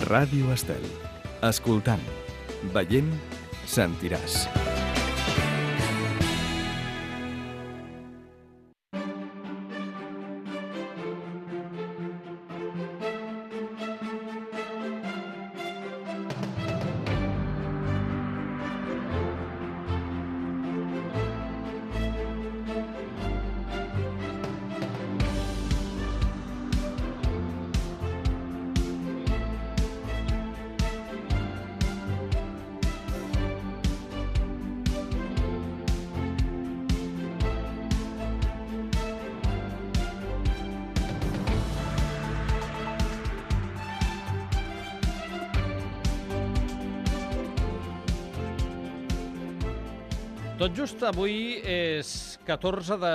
Ràdio Estel. Escoltant, veient, sentiràs. Tot just avui és 14 de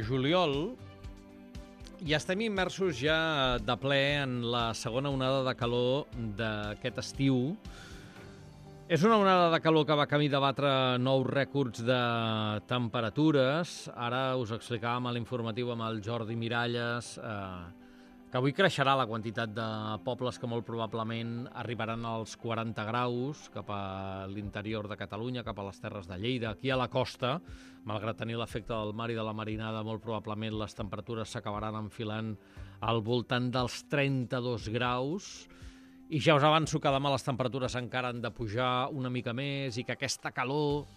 juliol i estem immersos ja de ple en la segona onada de calor d'aquest estiu. És una onada de calor que va camí de batre nous rècords de temperatures. Ara us explicàvem a l'informatiu amb el Jordi Miralles que avui creixerà la quantitat de pobles que molt probablement arribaran als 40 graus cap a l'interior de Catalunya, cap a les Terres de Lleida, aquí a la costa. Malgrat tenir l'efecte del mar i de la marinada, molt probablement les temperatures s'acabaran enfilant al voltant dels 32 graus. I ja us avanço que demà les temperatures encara han de pujar una mica més i que aquesta calor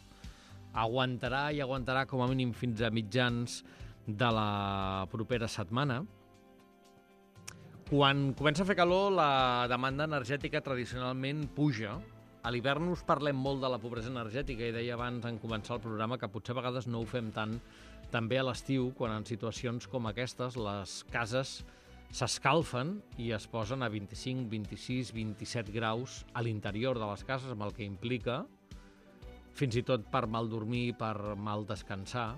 aguantarà i aguantarà com a mínim fins a mitjans de la propera setmana. Quan comença a fer calor, la demanda energètica tradicionalment puja. A l'hivern us parlem molt de la pobresa energètica i deia abans en començar el programa que potser a vegades no ho fem tant també a l'estiu, quan en situacions com aquestes les cases s'escalfen i es posen a 25, 26, 27 graus a l'interior de les cases, amb el que implica, fins i tot per mal dormir, per mal descansar.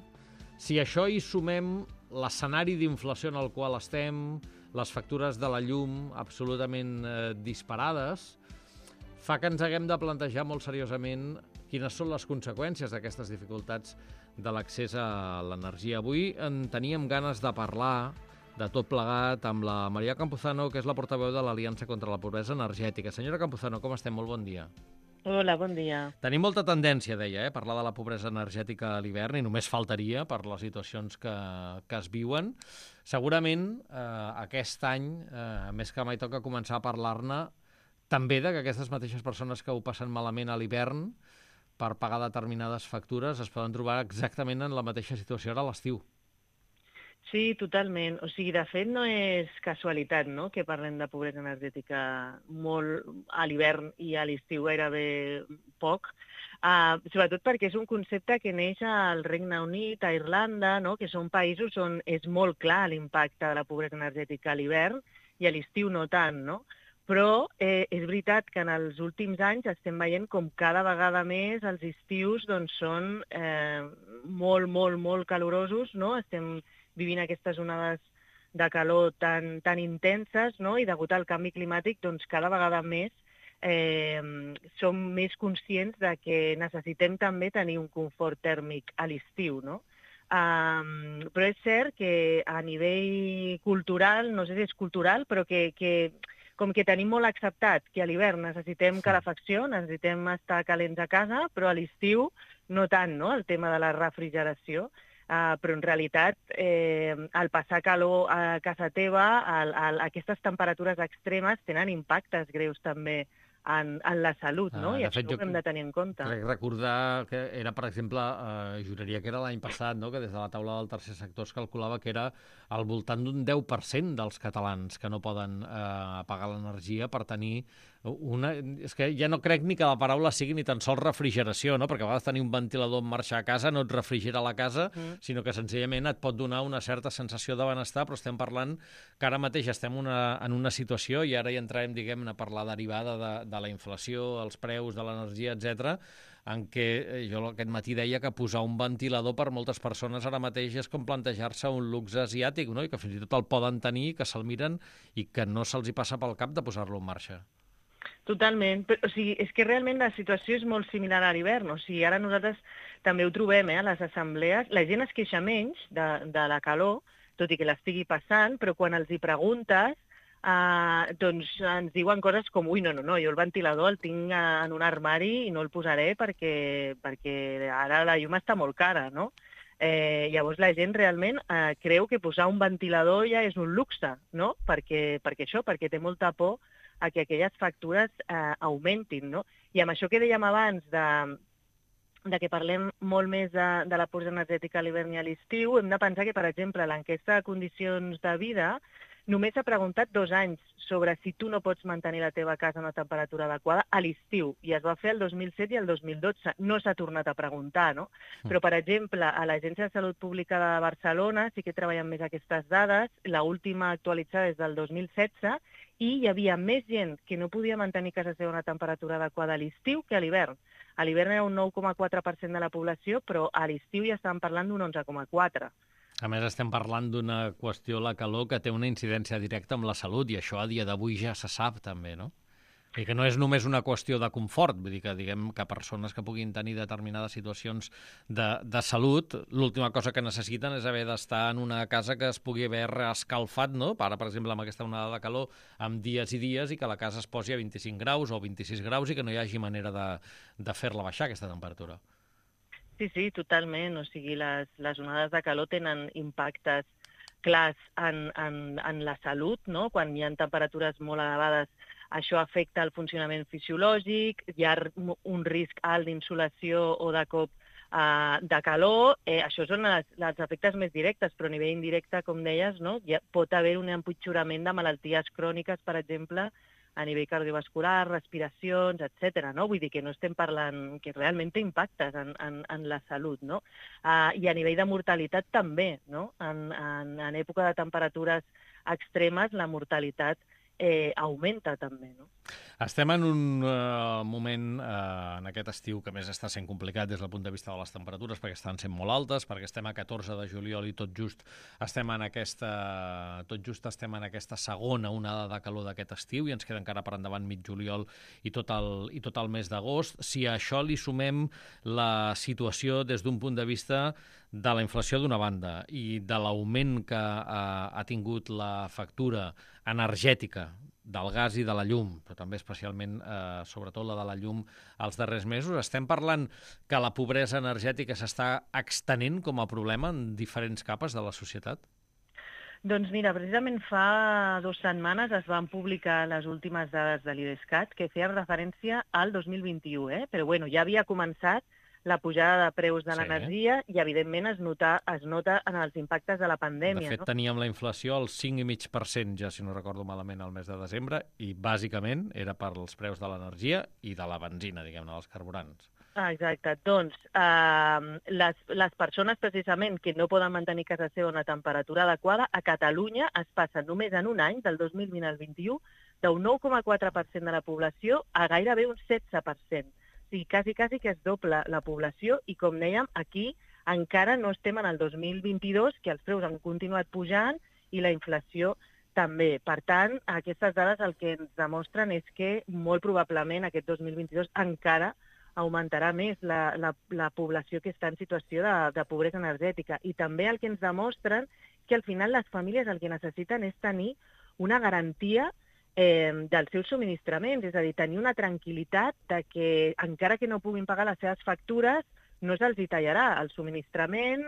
Si a això hi sumem l'escenari d'inflació en el qual estem, les factures de la llum absolutament disparades, fa que ens haguem de plantejar molt seriosament quines són les conseqüències d'aquestes dificultats de l'accés a l'energia. Avui en teníem ganes de parlar de tot plegat amb la Maria Campuzano, que és la portaveu de l'Aliança contra la Pobresa Energètica. Senyora Campuzano, com estem? Molt bon dia. Hola, bon dia. Tenim molta tendència, deia, a parlar de la pobresa energètica a l'hivern, i només faltaria per les situacions que es viuen. Segurament aquest any, més que mai, toca començar a parlar-ne també de que aquestes mateixes persones que ho passen malament a l'hivern per pagar determinades factures es poden trobar exactament en la mateixa situació ara a l'estiu. Sí, totalment. O sigui, de fet, no és casualitat, no?, que parlem de pobresa energètica molt a l'hivern i a l'estiu gairebé poc, sobretot perquè és un concepte que neix al Regne Unit, a Irlanda, no?, que són països on és molt clar l'impacte de la pobresa energètica a l'hivern i a l'estiu no tant, no? Però és veritat que en els últims anys estem veient com cada vegada més els estius doncs, són molt, molt, molt calorosos, no? Estem vivint aquestes onades de calor tan intenses, no? I degut al canvi climàtic, doncs cada vegada més som més conscients de que necessitem també tenir un confort tèrmic a l'estiu, no? Però és cert que a nivell cultural, no sé si és cultural, però que com que tenim molt acceptat que a l'hivern necessitem calefacció, necessitem estar calents a casa, però a l'estiu no tant, no?, el tema de la refrigeració. Però en realitat al passar calor a casa teva, aquestes temperatures extremes tenen impactes greus també en la salut, no? I això ho hem de tenir en compte. Crec recordar que era, per exemple, juraria que era l'any passat, no?, que des de la taula del tercer sector es calculava que era al voltant d'un 10% dels catalans que no poden pagar l'energia per tenir una... És que ja no crec ni que la paraula sigui ni tan sols refrigeració, no?, perquè a vegades tenir un ventilador en marxa a casa no et refrigera la casa, sinó que senzillament et pot donar una certa sensació de benestar, però estem parlant que ara mateix estem en una situació, i ara hi entrarem, diguem-ne, per la derivada de la inflació, els preus de l'energia, etc., en què jo aquest matí deia que posar un ventilador per moltes persones ara mateix és com plantejar-se un luxe asiàtic, no?, i que fins i tot el poden tenir, que se'l miren i que no se'ls hi passa pel cap de posar-lo en marxa. Totalment. O sigui, és que realment la situació és molt similar a l'hivern. O sigui, ara nosaltres també ho trobem a les assemblees. La gent es queixa menys de la calor, tot i que l'estigui passant, però quan els hi preguntes doncs ens diuen coses com ui, no, jo el ventilador el tinc en un armari i no el posaré perquè ara la llum està molt cara, no? Llavors la gent realment creu que posar un ventilador ja és un luxe, no? Perquè té molta por a que aquelles factures augmentin, no? I amb això que dèiem abans de que parlem molt més de la pobresa energètica a l'hivern i a l'estiu, hem de pensar que, per exemple, l'enquesta de condicions de vida només ha preguntat 2 anys sobre si tu no pots mantenir la teva casa a una temperatura adequada a l'estiu, i es va fer el 2007 i el 2012. No s'ha tornat a preguntar, no? Però, per exemple, a l'Agència de Salut Pública de Barcelona sí que treballen més aquestes dades. L'última actualitzada és del 2016 i hi havia més gent que no podia mantenir casa seva a una temperatura adequada a l'estiu que a l'hivern. A l'hivern era un 9,4% de la població, però a l'estiu ja estàvem parlant d'un 11,4%. A més, estem parlant d'una qüestió, la calor, que té una incidència directa amb la salut, i això a dia d'avui ja se sap també, no? I que no és només una qüestió de confort, vull dir que diguem que persones que puguin tenir determinades situacions de salut, l'última cosa que necessiten és haver d'estar en una casa que es pugui haver escalfat, no? Ara, per exemple, amb aquesta onada de calor, amb dies i dies, i que la casa es posi a 25 graus o 26 graus i que no hi hagi manera de fer-la baixar, aquesta temperatura. Sí, totalment. O sigui, les onades de calor tenen impactes clars en la salut, no? Quan hi ha temperatures molt elevades, això afecta el funcionament fisiològic, hi ha un risc alt d'insolació o de cop de calor. Això són els efectes més directes, però a nivell indirecte, com deies, no? Pot haver un empitjorament de malalties cròniques, per exemple, a nivell cardiovascular, respiracions, etc. No? Vull dir que no estem parlant que realment té impactes en la salut, no? I a nivell de mortalitat també, no? En època de temperatures extremes la mortalitat augmenta també, no? Estem en un moment en aquest estiu que més està sent complicat des del punt de vista de les temperatures, perquè estan sent molt altes, perquè estem a 14 de juliol i tot just estem en aquesta segona onada de calor d'aquest estiu, i ens queda encara per endavant mig juliol i tot el mes d'agost. Si a això li sumem la situació des d'un punt de vista de la inflació d'una banda i de l'augment que ha tingut la factura energètica del gas i de la llum, però també especialment, sobretot la de la llum, els darrers mesos, estem parlant que la pobresa energètica s'està extenent com a problema en diferents capes de la societat? Doncs mira, precisament fa 2 setmanes es van publicar les últimes dades de l'IDESCAT que feien referència al 2021, però bueno, ja havia començat la pujada de preus de l'energia i, evidentment, es nota en els impactes de la pandèmia. De fet, teníem la inflació al 5,5%, ja si no recordo malament, al mes de desembre, i bàsicament era per els preus de l'energia i de la benzina, diguem-ne, dels carburants. Exacte. Doncs les persones, precisament, que no poden mantenir casa seva a una temperatura adequada, a Catalunya es passen només en un any, del 2020 al 2021, d'un 9,4% de la població a gairebé un 16%. O sigui, quasi que es dobla la població i, com dèiem, aquí encara no estem en el 2022, que els preus han continuat pujant i la inflació també. Per tant, aquestes dades el que ens demostren és que molt probablement aquest 2022 encara augmentarà més la població que està en situació de pobresa energètica. I també el que ens demostren que al final les famílies el que necessiten és tenir una garantia dels seus subministraments, és a dir, tenir una tranquil·litat de que, encara que no puguin pagar les seves factures, no se'ls tallarà el subministrament,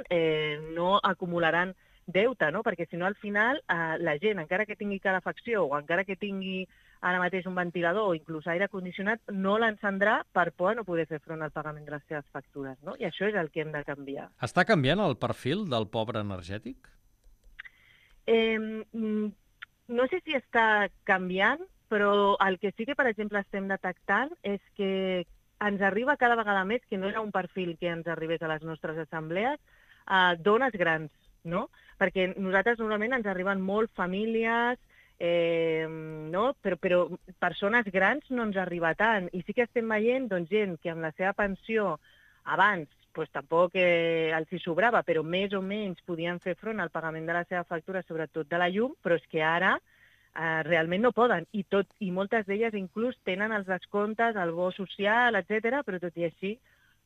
no acumularan deute, no? Perquè si no, al final, la gent, encara que tingui calefacció o encara que tingui ara mateix un ventilador o inclús aire condicionat, no l'encendrà per por a no poder fer front al pagament de les seves factures, no? I això és el que hem de canviar. Està canviant el perfil del pobre energètic? No sé si està canviant, però el que sí que, per exemple, estem detectant és que ens arriba cada vegada més, que no era un perfil que ens arribés a les nostres assemblees, dones grans, no? Perquè nosaltres normalment ens arriben molt famílies, no? Però persones grans no ens arriba tant. I sí que estem veient gent que amb la seva pensió abans tampoc els hi sobrava, però més o menys podien fer front al pagament de la seva factura, sobretot de la llum, però és que ara realment no poden. I moltes d'elles inclús tenen els descomptes, el bo social, etc., però tot i així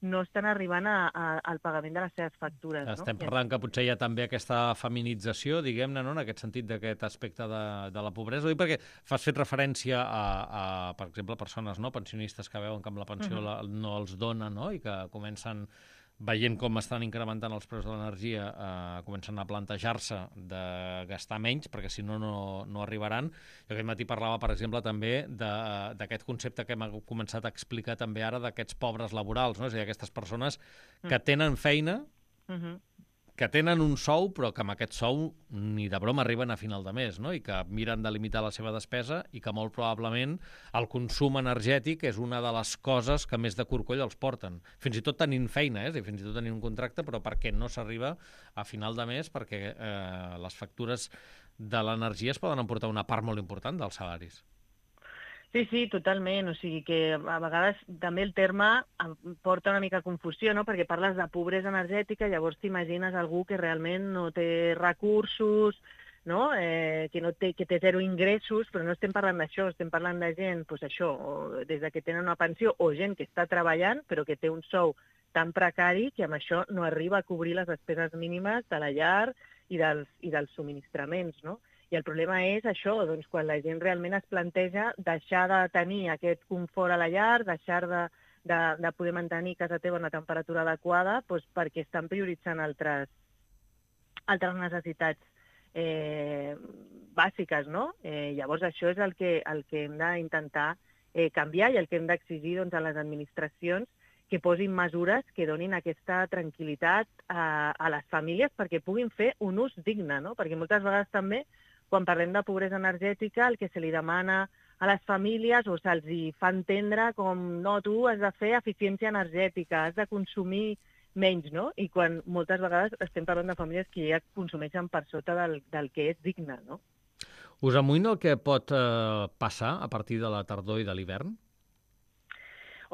no estan arribant al pagament de les seves factures. Estem parlant que potser hi ha també aquesta feminització, diguem-ne, no? En aquest sentit d'aquest aspecte de la pobresa. Ho dic perquè has fet referència a per exemple, persones pensionistes que veuen que amb la pensió no els dona, no? I que comencen, veient com estan incrementant els preus de l'energia, comencen a plantejar-se de gastar menys, perquè si no, no arribaran. Jo aquest matí parlava, per exemple, també d'aquest concepte que hem començat a explicar també ara d'aquests pobres laborals, no? És a dir, aquestes persones que tenen feina, que tenen un sou, però que amb aquest sou ni de broma arriben a final de mes, no? I que miren de limitar la seva despesa i que molt probablement el consum energètic és una de les coses que més de corcoll els porten. Fins i tot tenint feina, fins i tot tenint un contracte, però perquè no s'arriba a final de mes, perquè les factures de l'energia es poden emportar una part molt important dels salaris. Sí, totalment. O sigui que a vegades també el terme porta una mica confusió, no? Perquè parles de pobresa energètica, llavors t'imagines algú que realment no té recursos, no? Que té zero ingressos, però no estem parlant d'això, estem parlant de gent, doncs això, des de que tenen una pensió, o gent que està treballant però que té un sou tan precari que amb això no arriba a cobrir les despeses mínimes de la llar i dels subministraments, no? I el problema és això, doncs, quan la gent realment es planteja deixar de tenir aquest confort a la llar, deixar de poder mantenir casa teva una temperatura adequada, doncs perquè estan prioritzant altres necessitats bàsiques, no? Llavors això és el que hem d'intentar canviar i el que hem d'exigir a les administracions, que posin mesures que donin aquesta tranquil·litat a les famílies perquè puguin fer un ús digne, no? Perquè moltes vegades també, quan parlem de pobresa energètica, el que se li demana a les famílies o se'ls fa entendre com, no, tu has de fer eficiència energètica, has de consumir menys, no? I quan moltes vegades estem parlant de famílies que ja consumeixen per sota del que és digne, no? Us amoïna el que pot passar a partir de la tardor i de l'hivern?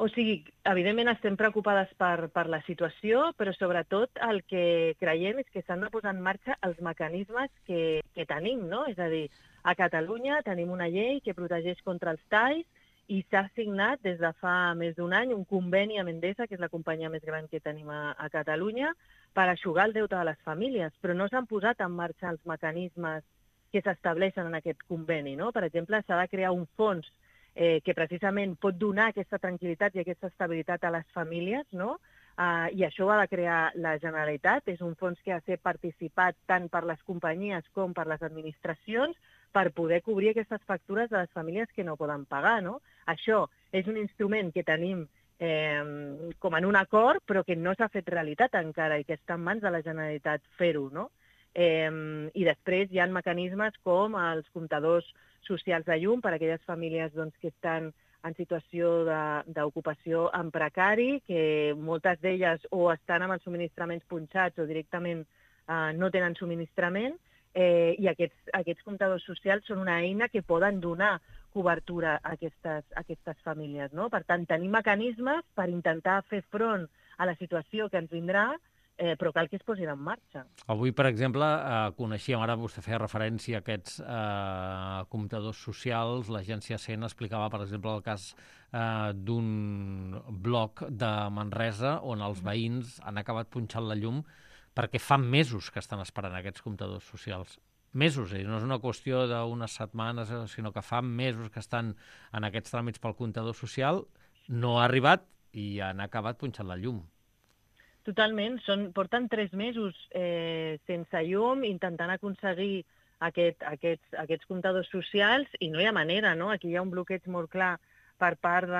O sigui, evidentment estem preocupades per la situació, però sobretot el que creiem és que s'han de posar en marxa els mecanismes que tenim, no? És a dir, a Catalunya tenim una llei que protegeix contra els talls i s'ha signat des de fa més d'un any un conveni amb Endesa, que és la companyia més gran que tenim a Catalunya, per eixugar el deute de les famílies, però no s'han posat en marxa els mecanismes que s'estableixen en aquest conveni, no? Per exemple, s'ha de crear un fons que precisament pot donar aquesta tranquil·litat i aquesta estabilitat a les famílies, no? I això ho ha de crear la Generalitat. És un fons que ha de ser participat tant per les companyies com per les administracions per poder cobrir aquestes factures de les famílies que no poden pagar, no? Això és un instrument que tenim com en un acord, però que no s'ha fet realitat encara i que està en mans de la Generalitat fer-ho, no? I després hi ha mecanismes com els comptadors socials de llum per a aquelles famílies que estan en situació d'ocupació en precari, que moltes d'elles o estan amb els subministraments punxats o directament no tenen subministrament, i aquests comptadors socials són una eina que poden donar cobertura a aquestes famílies, no? Per tant, tenim mecanismes per intentar fer front a la situació que ens vindrà, però cal que es posin en marxa. Avui, per exemple, coneixíem, ara vostè feia referència a aquests comptadors socials, l'agència CEN explicava, per exemple, el cas d'un bloc de Manresa on els veïns han acabat punxant la llum perquè fa mesos que estan esperant aquests comptadors socials. Mesos, no és una qüestió d'unes setmanes, sinó que fa mesos que estan en aquests tràmits pel comptador social, no ha arribat i han acabat punxant la llum. Totalment, porten 3 mesos sense llum, intentant aconseguir aquests comptadors socials i no hi ha manera, no? Aquí hi ha un bloqueig molt clar per part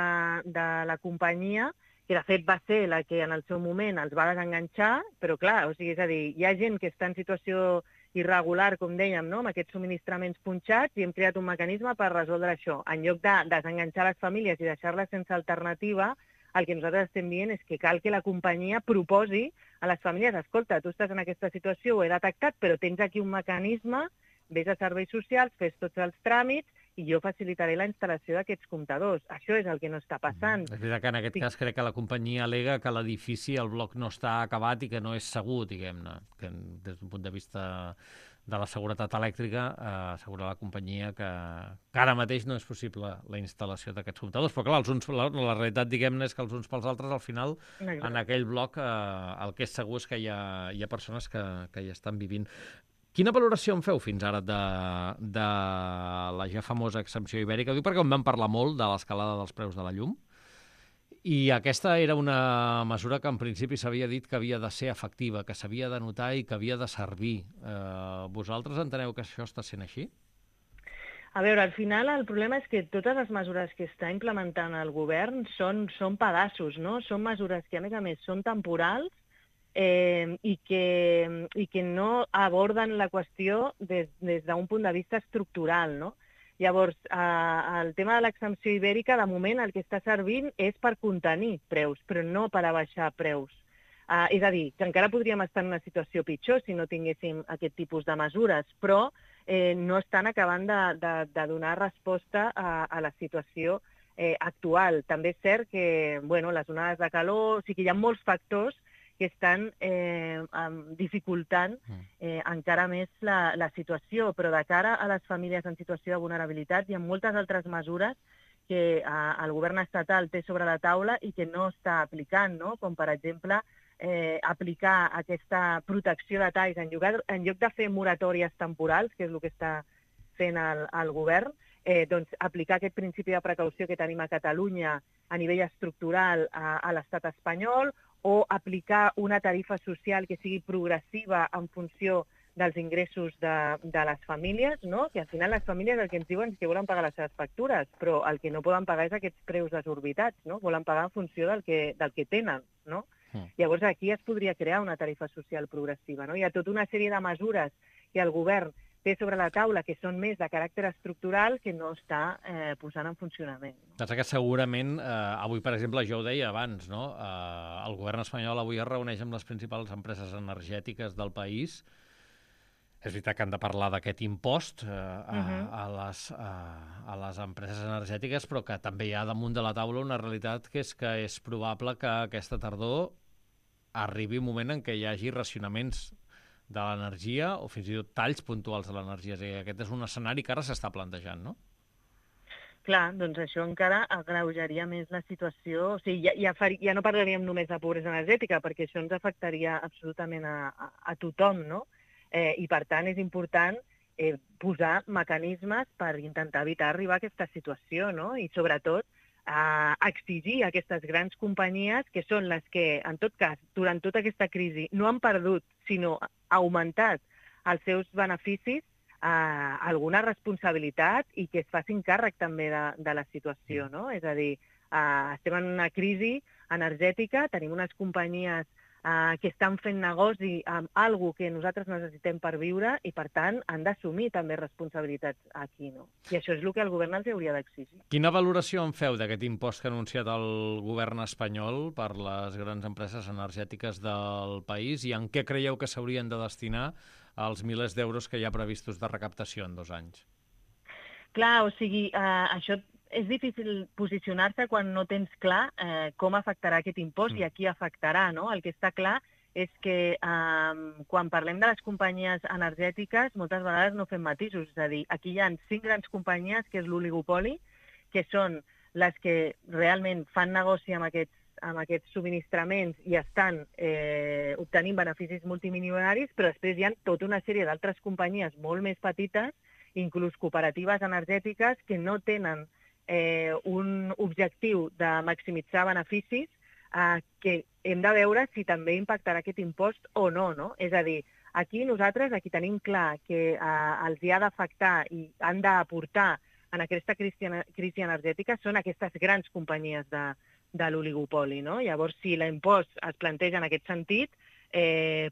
de la companyia, que de fet va ser la que en el seu moment els va desenganxar, però clar, o sigui, és a dir, hi ha gent que està en situació irregular, com dèiem, no? Amb aquests subministraments punxats i hem creat un mecanisme per resoldre això. En lloc de desenganxar les famílies i deixar-les sense alternativa, el que nosaltres estem dient és que cal que la companyia proposi a les famílies, escolta, tu estàs en aquesta situació, ho he detectat, però tens aquí un mecanisme, vés a serveis socials, fes tots els tràmits i jo facilitaré la instal·lació d'aquests comptadors. Això és el que no està passant. És veritat que en aquest cas crec que la companyia al·lega que l'edifici, el bloc no està acabat i que no és segur, diguem-ne, que des d'un punt de vista de la seguretat elèctrica, assegurar la companyia que ara mateix no és possible la instal·lació d'aquests comptadors. Però clar, la realitat, diguem-ne, és que els uns pels altres, al final, en aquell bloc, el que és segur és que hi ha persones que hi estan vivint. Quina valoració en feu fins ara de la ja famosa exempció ibèrica? Ho dic perquè en vam parlar molt de l'escalada dels preus de la llum, i aquesta era una mesura que en principi s'havia dit que havia de ser efectiva, que s'havia de notar i que havia de servir. Vosaltres enteneu que això està sent així? A veure, al final el problema és que totes les mesures que està implementant el govern són pedaços, no? Són mesures que, a més, són temporals i que no aborden la qüestió des d'un punt de vista estructural, no? Llavors, el tema de l'exempció ibèrica, de moment, el que està servint és per contenir preus, però no per abaixar preus. És a dir, que encara podríem estar en una situació pitjor si no tinguéssim aquest tipus de mesures, però no estan acabant de donar resposta a la situació actual. També és cert que les onades de calor, o sigui que hi ha molts factors que estan dificultant encara més la situació, però de cara a les famílies en situació de vulnerabilitat hi ha moltes altres mesures que el govern estatal té sobre la taula i que no està aplicant, no? Com per exemple aplicar aquesta protecció de talls en lloc de fer moratòries temporals, que és el que està fent el govern, doncs aplicar aquest principi de precaució que tenim a Catalunya a nivell estructural a l'estat espanyol, o aplicar una tarifa social que sigui progressiva en funció dels ingressos de les famílies, no? Que al final les famílies el que ens diuen és que volen pagar les seves factures, però el que no poden pagar és aquests preus desorbitats, no? Volen pagar en funció del que tenen, no? Llavors aquí es podria crear una tarifa social progressiva, no? Hi ha tota una sèrie de mesures que el govern té sobre la taula que són més de caràcter estructural que no està posant en funcionament. Pensa que segurament, avui, per exemple, jo ho deia abans, no? El govern espanyol avui es reuneix amb les principals empreses energètiques del país. És veritat que han de parlar d'aquest impost a les empreses energètiques, però que també hi ha damunt de la taula una realitat que és probable que aquesta tardor arribi un moment en què hi hagi racionaments de l'energia o fins i tot talls puntuals de l'energia. És a dir, aquest és un escenari que ara s'està plantejant, no? Clar, doncs això encara agreujaria més la situació. O sigui, ja no parlaríem només de pobresa energètica, perquè això ens afectaria absolutament a tothom, no? I, per tant, és important posar mecanismes per intentar evitar arribar a aquesta situació, no? I, sobretot, exigir a aquestes grans companyies, que són les que, en tot cas, durant tota aquesta crisi, no han perdut, sinó augmentat els seus beneficis, alguna responsabilitat i que es facin càrrec també de la situació, no? És a dir, estem en una crisi energètica, tenim unes companyies que estan fent negoci amb alguna que nosaltres necessitem per viure i, per tant, han d'assumir també responsabilitats aquí, no? I això és el que el govern els hauria d'exigir. Quina valoració en feu d'aquest impost que ha anunciat el govern espanyol per les grans empreses energètiques del país i en què creieu que s'haurien de destinar els milers d'euros que hi ha previstos de recaptació en 2 anys? Clar, o sigui, això és difícil posicionar-se quan no tens clar com afectarà aquest impost i a qui afectarà, no? El que està clar és que quan parlem de les companyies energètiques moltes vegades no fem matisos. És a dir, aquí hi ha 5 grans companyies, que és l'oligopoli, que són les que realment fan negoci amb aquests subministraments i estan obtenint beneficis multimilionaris, però després hi ha tota una sèrie d'altres companyies molt més petites, inclús cooperatives energètiques, que no tenen un objectiu de maximitzar beneficis que hem de veure si també impactarà aquest impost o no, no? És a dir, aquí tenim clar que els hi ha d'afectar i han d'aportar en aquesta crisi energètica són aquestes grans companyies de l'oligopoli, no? Llavors, si l'impost es planteja en aquest sentit,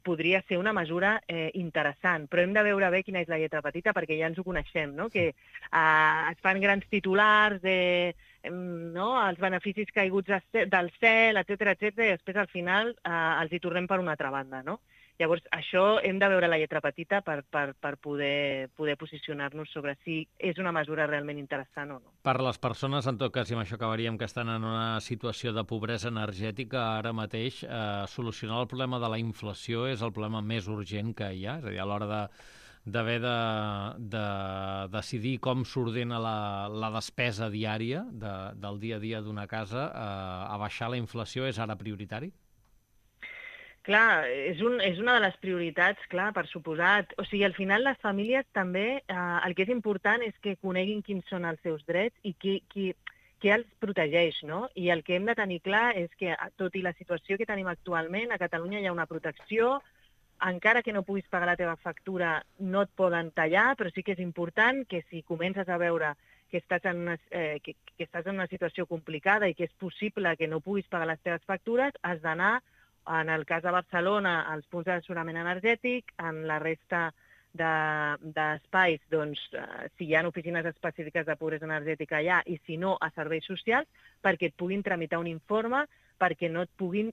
podria ser una mesura interessant, però hem de veure bé quina és la lletra petita perquè ja ens ho coneixem, no? Que es fan grans titulars els beneficis caiguts del cel, etcètera, i després al final els hi tornem per una altra banda, no? Llavors, això hem de veure la lletra petita per poder posicionar-nos sobre si és una mesura realment interessant o no. Per les persones, en tot cas, i amb això acabaríem, que estan en una situació de pobresa energètica, ara mateix solucionar el problema de la inflació és el problema més urgent que hi ha. És a dir, a l'hora d'haver de decidir com s'ordena la despesa diària del dia a dia d'una casa, abaixar la inflació és ara prioritari? Clar, és una de les prioritats, clar, per suposat. O sigui, al final les famílies també, el que és important és que coneguin quins són els seus drets i qui els protegeix, no? I el que hem de tenir clar és que, tot i la situació que tenim actualment, a Catalunya hi ha una protecció, encara que no puguis pagar la teva factura, no et poden tallar, però sí que és important que si comences a veure que estàs en una situació complicada i que és possible que no puguis pagar les teves factures, has d'anar, en el cas de Barcelona, als punts d'assessorament energètic, en la resta d'espais, doncs, si hi ha oficines específiques de pobresa energètica allà, i si no, a serveis socials, perquè et puguin tramitar un informe perquè no et puguin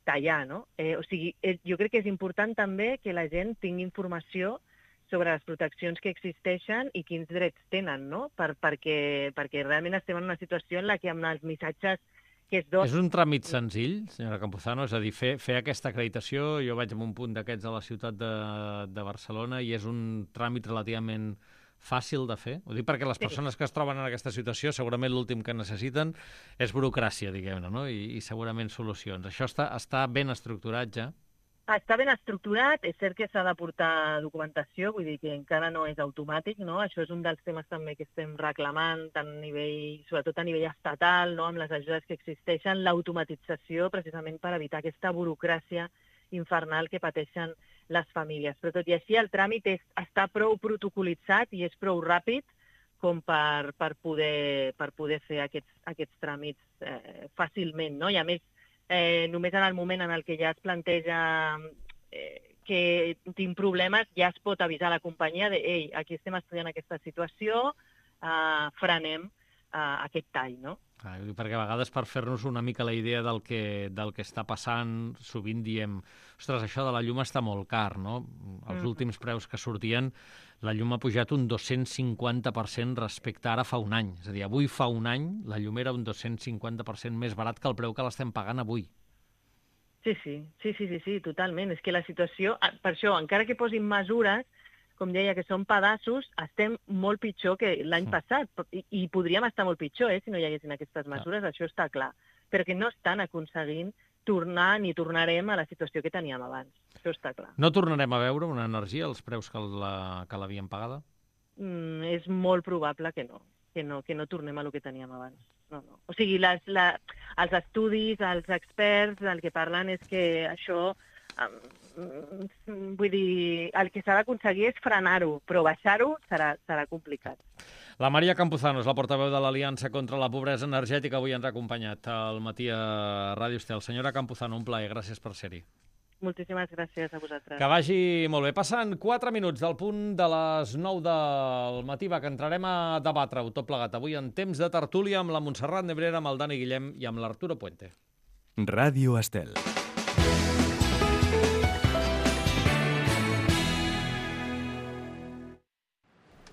tallar, no? O sigui, jo crec que és important també que la gent tingui informació sobre les proteccions que existeixen i quins drets tenen, no? Perquè realment estem en una situació en la que amb els missatges que es donen... És un tràmit senzill, senyora Campuzano? És a dir, fer aquesta acreditació, jo vaig en un punt d'aquests a la ciutat de Barcelona i és un tràmit relativament fàcil de fer? Ho dic perquè les persones que es troben en aquesta situació segurament l'últim que necessiten és burocràcia, diguem-ne, no? I segurament solucions. Això està ben estructurat ja? Està ben estructurat, és cert que s'ha de portar documentació, vull dir que encara no és automàtic, no? Això és un dels temes també que estem reclamant, sobretot a nivell estatal, no? Amb les ajudes que existeixen, l'automatització precisament per evitar aquesta burocràcia infernal que pateixen les famílies. Però tot i així el tràmit està prou protocolitzat i és prou ràpid com per poder fer aquests tràmits fàcilment, no? I a més, només en el moment en el que ja es planteja que tinc problemes, ja es pot avisar a la companyia de «Ei, aquí estem estudiant aquesta situació, frenem aquest tall», no? Perquè a vegades per fer-nos una mica la idea del que està passant, sovint diem «Ostres, això de la llum està molt car», no? Els últims preus que sortien, la llum ha pujat un 250% respecte a ara fa un any. És a dir, avui fa un any la llum era un 250% més barat que el preu que l'estem pagant avui. Sí, totalment. És que la situació, per això, encara que posin mesures, com deia, que són pedaços, estem molt pitjor que l'any passat. I podríem estar molt pitjor, si no hi haguessin aquestes mesures, això està clar. Però que no estan aconseguint tornar ni tornarem a la situació que teníem abans. Això està clar. No tornarem a veure una energia als preus que l'havien pagada? És molt probable que no tornem a lo que teníem abans. No. O sigui, els estudis, els experts, el que parlen és que això... vull dir, el que s'ha d'aconseguir és frenar-ho, però baixar-ho serà complicat. La Maria Campuzano és la portaveu de l'Aliança contra la Pobresa Energètica. Avui ens ha acompanyat al matí a Ràdio Estel. Senyora Campuzano, un plaer. Gràcies per ser-hi. Moltíssimes gràcies a vosaltres. Que vagi molt bé. Passen 4 minuts del punt de les 9 del matí, que entrarem a debatre-ho tot plegat avui en temps de tertúlia amb la Montserrat Nebrera, amb el Dani Guillem i amb l'Arturo Puente. Ràdio Estel.